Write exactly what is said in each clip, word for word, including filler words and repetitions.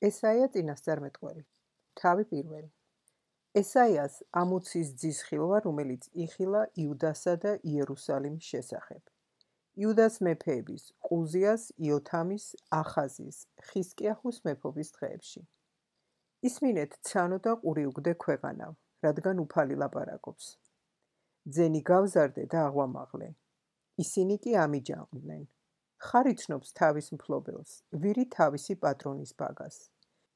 ესაია წინასწარმეტყველი. თავი პირველი. ესაიას ამოცის ძის ხილვა, რომელიც იხილა იუდასა და იერუსალიმის შესახებ. იუდას მეფეების, ყუზიას, იოთამის, ახაზის, ხისკიაჰუს მეფობის დღეებში. ისმინეთ ცანო და ყური უგდე ქვეყანავ, რადგან უფალი ლაპარაკობს. ძენი გავზარდე და აღვამაღლე. ისინი კი ამიჯანყდნენ. ხარ იცნობს თავის მფლობელს, ვირი თავისი პატრონის ბაგას.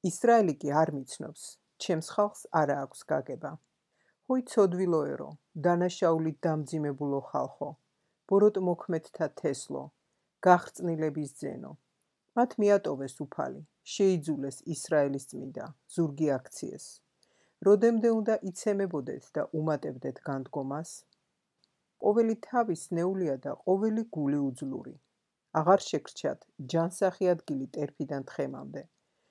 ისრაელი კი არ მიცნობს, ჩემს ხალხს არა აქვს გაგება. ჰოი ცოდვილოერო, დანაშაულით დამძიმებულო ხალხო, ბოროტ მოქმედთა თესლო, გახრწნილების ძენო. მათ მიატოვეს უფალი, შეიძულეს ისრაელის წმიდა, ზურგი აქციეს. როდემდე უნდა იცემებოდეთ და უმატებდეთ განდგომას? ყოველი თავი სნეულია და ყოველი გული უძლური. აღარ შეგრჩათ ჯანსაღი ადგილი ტერფიდან თხემამდე.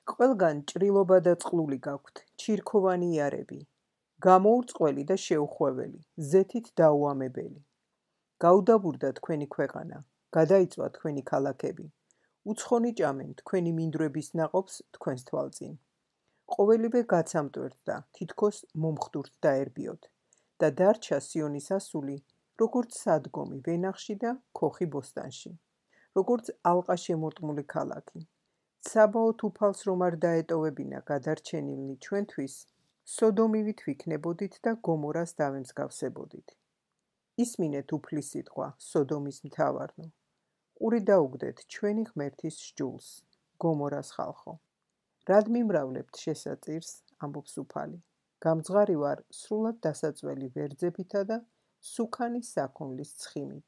ყველგან ჭრილობა და წყლული გაქვთ, ჩირქოვანი იარები, გამოურწყველი და შეუხვეველი, ზეთით დაუამებელი. გაუდაბურდა თქვენი ქვეყანა, გადაიწვა თქვენი ქალაქები. უცხონი ჭამენ თქვენი მინდვრების ნაყოფს თქვენს თვალწინ. ყოველივე გაცამტვერდა, თითქოს მომხდურთ დაერბიოთ და დარჩა სიონის ასული, როგორც სადგომი ვენახში და ქოხი ბოსტანში, როგორც ალყა შემორტმული ქალაქი. საბაოთ უფალს რომ არ დაეტოვებინა გადარჩენილნი ჩვენთვის, სოდომივით ვიქნებოდით და გომორას დავემსგავსებოდით. ისმინეთ უფლის სიტყვა, სოდომის მთავარნო. ყური დაუგდეთ ჩვენი ღმერთის სჯულს, გომორას ხალხო. რად მიმრავლებთ შესაწირს, ამბობს უფალი. გამძღარი ვარ სრულად დასაწველი ვერძებითა და სუქანი საქონლის ცხიმით.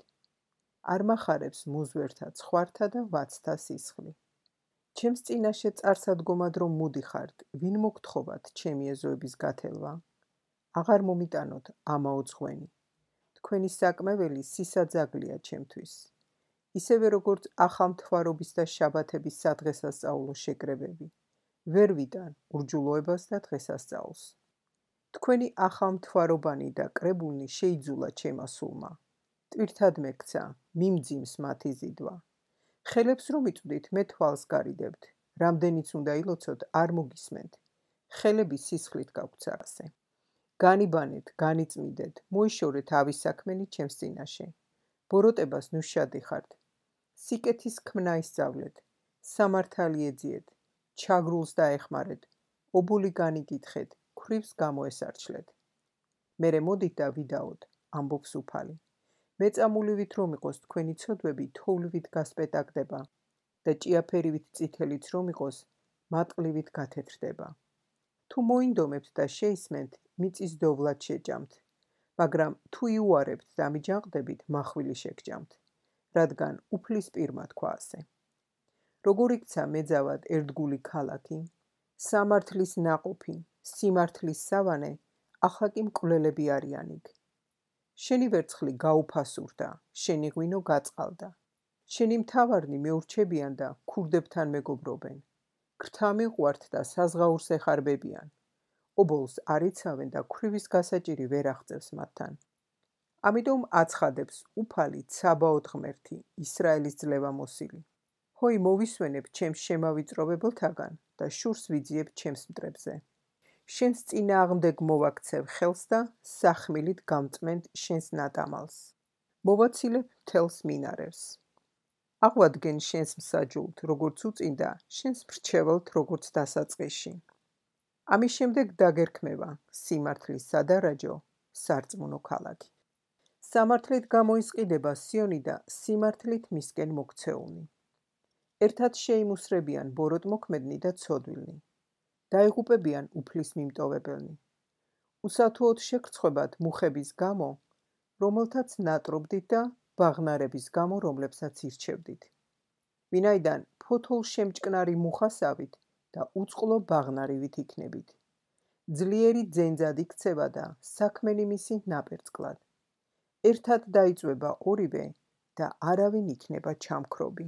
არ მახარებს მუზვერთა ცხვართა და ვაცთა სისხლი. ჩემს წინაშე წარსადგომად რომ მუდიხართ, ვინ მოგთხოვათ ჩემი ეზოების გათელვა? აღარ მომიტანოთ ამაო ძღვენი. თქვენი საკმეველი სისაძაგლია ჩემთვის. ისევე როგორც ახალმთვარობის და შაბათების სადღესასწაულო შეკრებები. ვერ ვიტან ურჯულოებას და დღესასწაულს. თქვენი ახალმთვარობანი და კრებულნი შეიძულა ჩემმა სულმა. ტვირთად მეკცა, მიმძიმს მათი ზიდვა. ხელებს რომ იწვდით, მე თვალს გარიდებთ. რამდენიც უნდა ილოცოთ, არ მოგისმენთ. ხელები სისხლით გაგვცარასე. განიბანეთ, განიწმიდეთ, მოიშორეთ ავის საქმენი ჩემს წინაშე. ბოროტებას ნუ შადიხართ. სიკეთის ქმნა ისწავლეთ, სამართალი ეძიეთ, ჩაგრულს დაეხმარეთ, ობოლი განიკითხეთ, ქვრივს გამოესარჩლეთ. მერე მოდით და ვიდაოთ, ამბობს უფალი. მეწამულივით რომ იყოს თქვენი ცოდვები თოვლივით გასპეტაკდება და ჭიაფერივით წითელიც რომ იყოს მატყლივით გათეთრდება. თუ მოინდომებთ და შეისმენთ, მიწის დოვლად შეჭამთ, მაგრამ თუ იუარებთ და მიჯანყდებით, მახვილი შეგჭამთ, რადგან უფლის პირმა თქვა ასე. როგორ იქცა მეძავად ერთგული ქალაქი, სამართლის ნაყოფი, სიმართლის სავანე, ახლა კი მკვლელები არიან იქ. შენი ვერცხლი გაუფასურდა, შენი ღვინო გაწყალდა. შენი მთავარნი მეურჩებიან და ქურდებთან მეგობრობენ. გრთა მიყვართ და საზღაურს ეხარბებიან. ობოლს არ იცავენ და ქვრივის გასაჭირი ვერ აღწევს მათთან. ამიტომ აცხადებს უფალი ცაბაოთ ღმერთი, ისრაელის ძლევამოსილი. ჰოი მოვისვენებ ჩემს შემავიწროვებელთაგან და შურს ვიძიებ ჩემს მტრებზე. შენს წინააღმდეგ მოვაქცევ ხელს და სახმილით გამწმენთ შენს ნატამალს. მოვაცილებ მთელს მინარევს. აღვადგენ შენს მსაჯულთ, როგორც უწინდა, შენს მრჩეველთ, როგორც დასაწყისში. ამის შემდეგ დაგერქმევა სიმართლის სადარაჯო, სარწმუნო ქალაქი. სამართლით გამოისყიდება სიონი და სიმართლით მისკენ მოქცეულნი. ერთად შეიმუსრებიან ბოროტმოქმედნი და ცოდვილნი. დაიღუპებიან უფლის მიმტოვებელნი. უსათუოდ შეგრცხვებათ მუხების გამო, რომელთაც ნატრობდით და ბაღნარების გამო, რომლებსაც ირჩევდით. ვინაიდან ფოთოლ შემჭკნარი მუხასავით და უწყლო ბაღნარივით იქნებით. ძლიერი ძენძად იქცევა და საქმენი მისი ნაპერწკლად. ერთად დაიწვება ორივე და არავინ იქნება ჩამქრობი.